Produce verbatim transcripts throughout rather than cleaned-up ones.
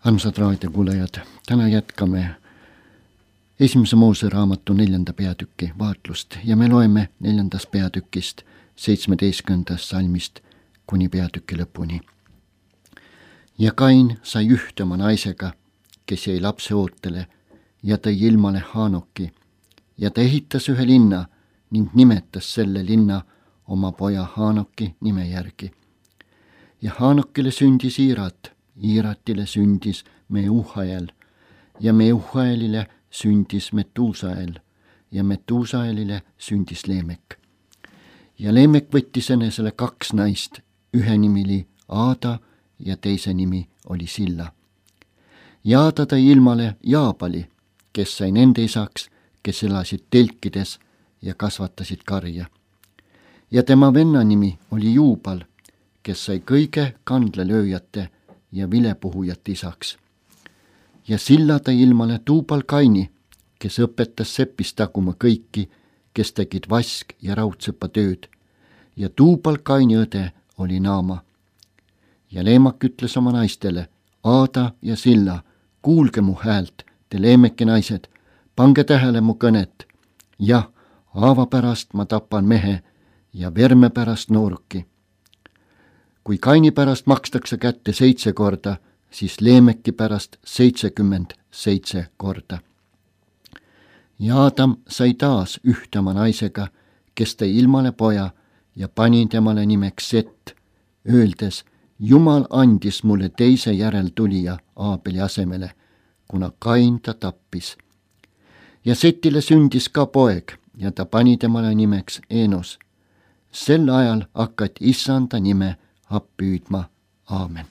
Armsad raadiokuulajad, täna jätkame esimese Moose raamatu neljanda peatüki vaatlust ja me loeme neljandast peatükist seitsmeteistkümnendast salmist kuni peatüki lõpuni. Ja Kain sai ühte oma naisega, kes jäi lapse ootele, ja tõi ilmale Haanoki, ja ta ehitas ühe linna ning nimetas selle linna oma poja Haanoki nime järgi. Ja Haanokile sündis Iirat, Iiratile sündis Meuhael ja Meuhaelile sündis Metuusael ja Metuusaelile sündis Leemek. Ja Leemek võttis enesele kaks naist, ühe nimi oli Aada ja teise nimi oli Silla. Ja Aada tõi ilmale Jaabali, kes sai nende isaks, kes elasid telkides ja kasvatasid karja. Ja tema venna nimi oli Juubal, kes sai kõige kandlelööjate ja vilepuhujate isaks. Ja Silla tõi ilmale Tuubal Kaini, kes õpetas sepist taguma kõiki, kes tegid vask- ja raudsepa tööd. Ja Tuubal Kaini õde oli Naama. Ja Leemak ütles oma naistele, Aada ja Silla, kuulge mu häält, te Leemeki naised, pange tähele mu kõnet. Jah, haava pärast ma tapan mehe ja verme pärast nooruki. Kui Kaini pärast makstakse kätte seitse korda, siis Leemeki pärast seitsekümmend seitse korda. Ja Aadam sai taas ühte oma naisega, kes tõi ilmale poja ja pani temale nimeks Set, öeldes, Jumal andis mulle teise järeltulija Aabeli asemele, kuna Kain ta tappis. Ja Setile sündis ka poeg ja ta pani temale nimeks Enos. Sel ajal hakati issanda nime appi hüüdma. Aamen.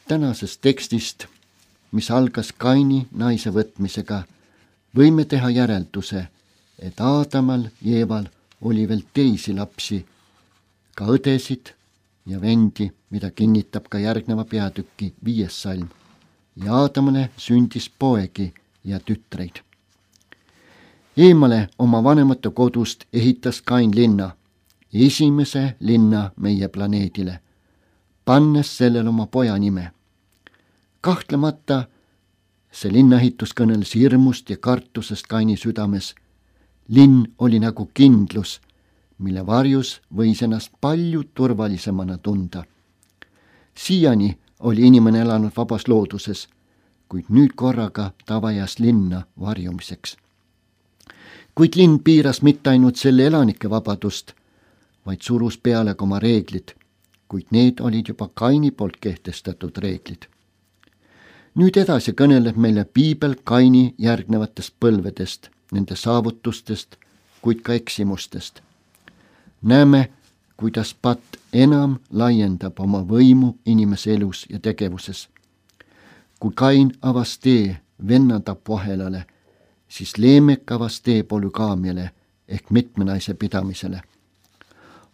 Tänasest tekstist, mis algas Kaini naise võtmisega, võime teha järelduse, et Aadamal ja Eeval oli veel teisi lapsi, ka õdesid ja vendi, mida kinnitab ka järgneva peatüki viies salm. Ja Aadamale sündis poegi ja tütreid. Eemale oma vanemate kodust ehitas Kain linna, esimese linna meie planeedile, pannes sellel oma poja nime. Kahtlemata see linnaehitus kõneles hirmust ja kartusest Kaini südames. Linn oli nagu kindlus, mille varjus võis ennast palju turvalisemana tunda. Siiani oli inimene elanud vabas looduses, kuid nüüd korraga ta vajas linna varjumiseks. Kuid linn piiras mitte ainult selle elanike vabadust, vaid surus peale ka oma reeglid, kuid need olid juba Kaini poolt kehtestatud reeglid. Nüüd edasi kõneleb meile piibel Kaini järgnevatest põlvedest, nende saavutustest, kuid ka eksimustest. Näeme, kuidas patt enam laiendab oma võimu inimese elus ja tegevuses. Kui Kain avas tee vennatapu ahelale, siis Leemek avas tee polügaamiale ehk mitme naise pidamisele.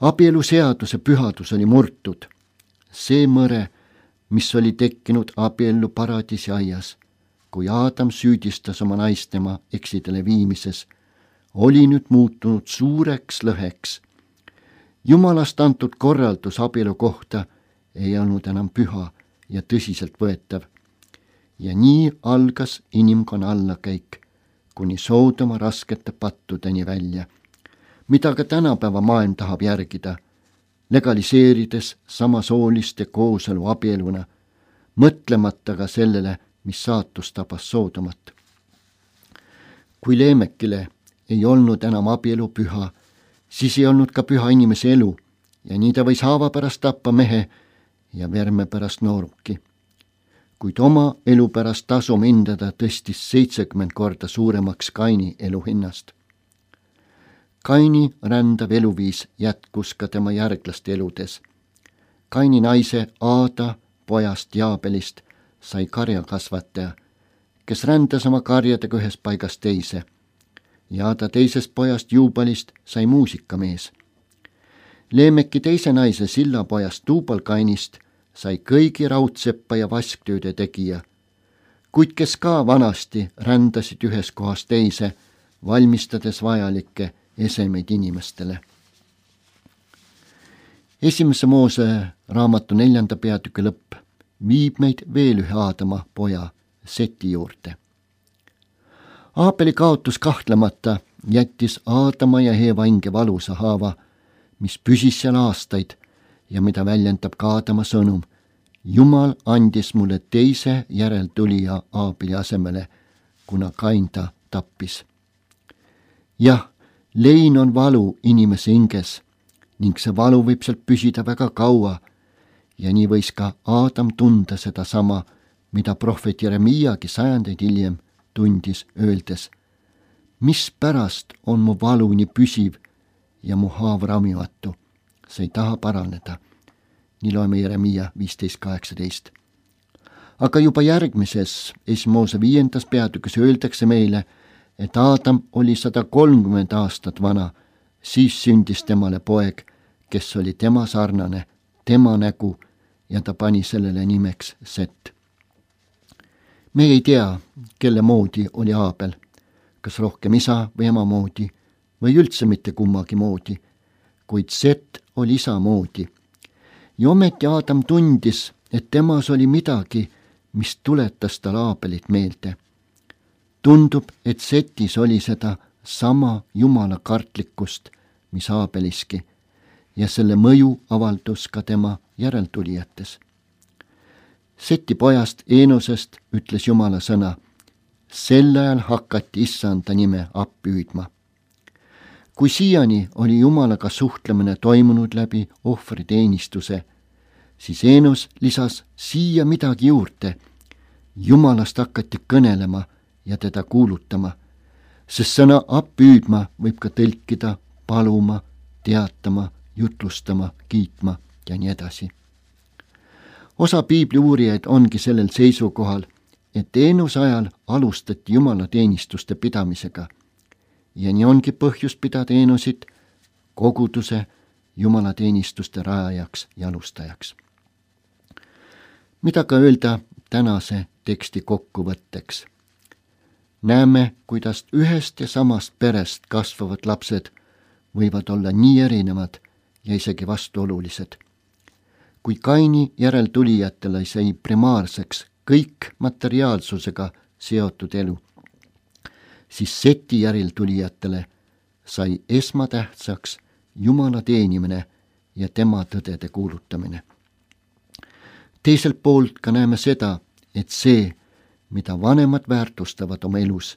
Abielu seaduse pühadus oli murtud. See mõre, mis oli tekkinud abiellu paradiisi aias, kui Aadam süüdistas oma naist tema eksidele viimises, oli nüüd muutunud suureks lõheks. Jumalast antud korraldus abielu kohta ei olnud enam püha ja tõsiselt võetav. Ja nii algas inimkonna allakäik, kuni Soodoma raskete pattudeni välja, mida ka tänapäeva maailm tahab järgida, legaliseerides samasooliste kooselu abieluna, mõtlemata ka sellele, mis saatus tabas Soodomat. Kui Leemekile ei olnud enam abielu püha, siis ei olnud ka püha inimese elu ja nii ta võis haava pärast tappa mehe ja verme pärast nooruki. Kuid oma elu pärast tasum hindada tõstis seitsekümmend korda suuremaks Kaini eluhinnast. Kaini rändav eluviis jätkus ka tema järglaste eludes. Kaini naise Aada pojast Jaabelist sai karjakasvataja, kes rändas oma karjadega ühest paigast teise. Ja Aada teisest pojast Juubalist sai muusikamees. Leemeki teise naise Silla pojast Tuubal Kainist sai kõigi raudseppa ja vasktööde tegija, kuid kes ka vanasti rändasid ühes kohas teise, valmistades vajalikke esemeid inimestele. esimese Moose raamatu neljanda peatüki lõpp viib meid veel ühe Aadama poja Seti juurde. Aabeli kaotus kahtlemata jättis Aadama ja Eeva hinge valusa haava, mis püsis seal aastaid ja mida väljendab ka Aadama sõnum. Jumal andis mulle teise järeltulija Aabeli asemele, kuna Kain ta tappis. Jah, lein on valu inimese hinges ning see valu võib sealt püsida väga kaua ja nii võis ka Aadam tunda seda sama, mida prohvet Jeremiagi sajandeid hiljem tundis, öeldes: mispärast on mu valu nii püsiv ja mu haav ravimatu, see ei taha paraneda. Nii loeme Jeremia viisteist kaheksateist. Aga juba järgmises esimese Moose viiendas peatükis öeldakse meile, et Aadam oli sada kolmkümmend aastat vana, siis sündis temale poeg, kes oli tema sarnane, tema nägu ja ta pani sellele nimeks Set. Me ei tea, kelle moodi oli Aabel, kas rohkem isa või ema moodi või üldse mitte kummagi moodi, kuid Set oli isa moodi. Ja ometi Aadam tundis, et temas oli midagi, mis tuletas tal Aabelit meelde. Tundub, et Setis oli seda sama jumala kartlikkust, mis Aabeliski, ja selle mõju avaldus ka tema järeltulijates. Seti pojast Eenosest ütles Jumala sõna: sel ajal hakati issanda nime appi hüüdma. Kui siiani oli Jumalaga suhtlemine toimunud läbi ohvriteenistuse, siis Eenos lisas siia midagi juurde. Jumalast hakati kõnelema ja teda kuulutama, sest sõna appi hüüdma võib ka tõlkida paluma, teatama, jutlustama, kiitma ja nii edasi. Osa piibli uurijaid ongi sellel seisukohal, et Eenose ajal alustati Jumala teenistuste pidamisega ja nii ongi põhjust pidada Eenosit koguduse Jumala teenistuste rajajaks ja alustajaks. Mida ka öelda tänase teksti kokkuvõtteks? Näeme, kuidas ühest ja samast perest kasvavad lapsed võivad olla nii erinevad ja isegi vastuolulised. Kui Kaini järeltulijatele sai primaarseks kõik materiaalsusega seotud elu, siis Seti järeltulijatele sai esmatähtsaks Jumala teenimine ja tema tõdede kuulutamine. Teiselt poolt ka näeme seda, et see, mida vanemad väärtustavad oma elus,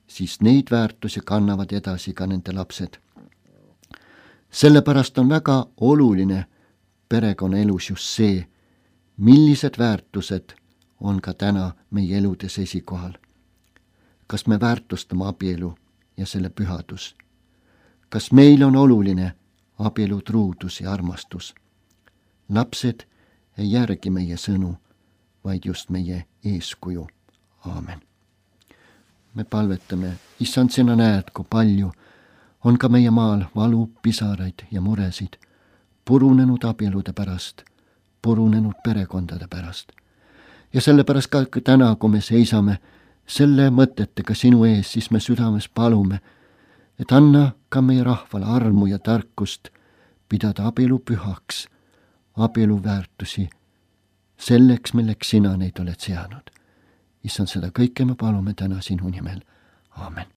siis neid väärtusi kannavad edasi ka nende lapsed. Sellepärast on väga oluline perekonna elus just see, millised väärtused on ka täna meie eludes esikohal. Kas me väärtustame abielu ja selle pühadus? Kas meil on oluline abielu truudus ja armastus? Lapsed ei järgi meie sõnu, vaid just meie eeskuju. Aamen. Me palvetame: Issand, sina näed, kui palju on ka meie maal valu, pisaraid ja muresid purunenud abielude pärast, purunenud perekondade pärast. Ja sellepärast ka täna, kui me seisame selle mõtetega sinu ees, siis me südames palume, et anna ka meie rahvale armu ja tarkust pidada abielu pühaks, abielu väärtusi selleks, milleks sina neid oled seadnud. Issand, seda kõike me palume täna sinu nimel. Aamen.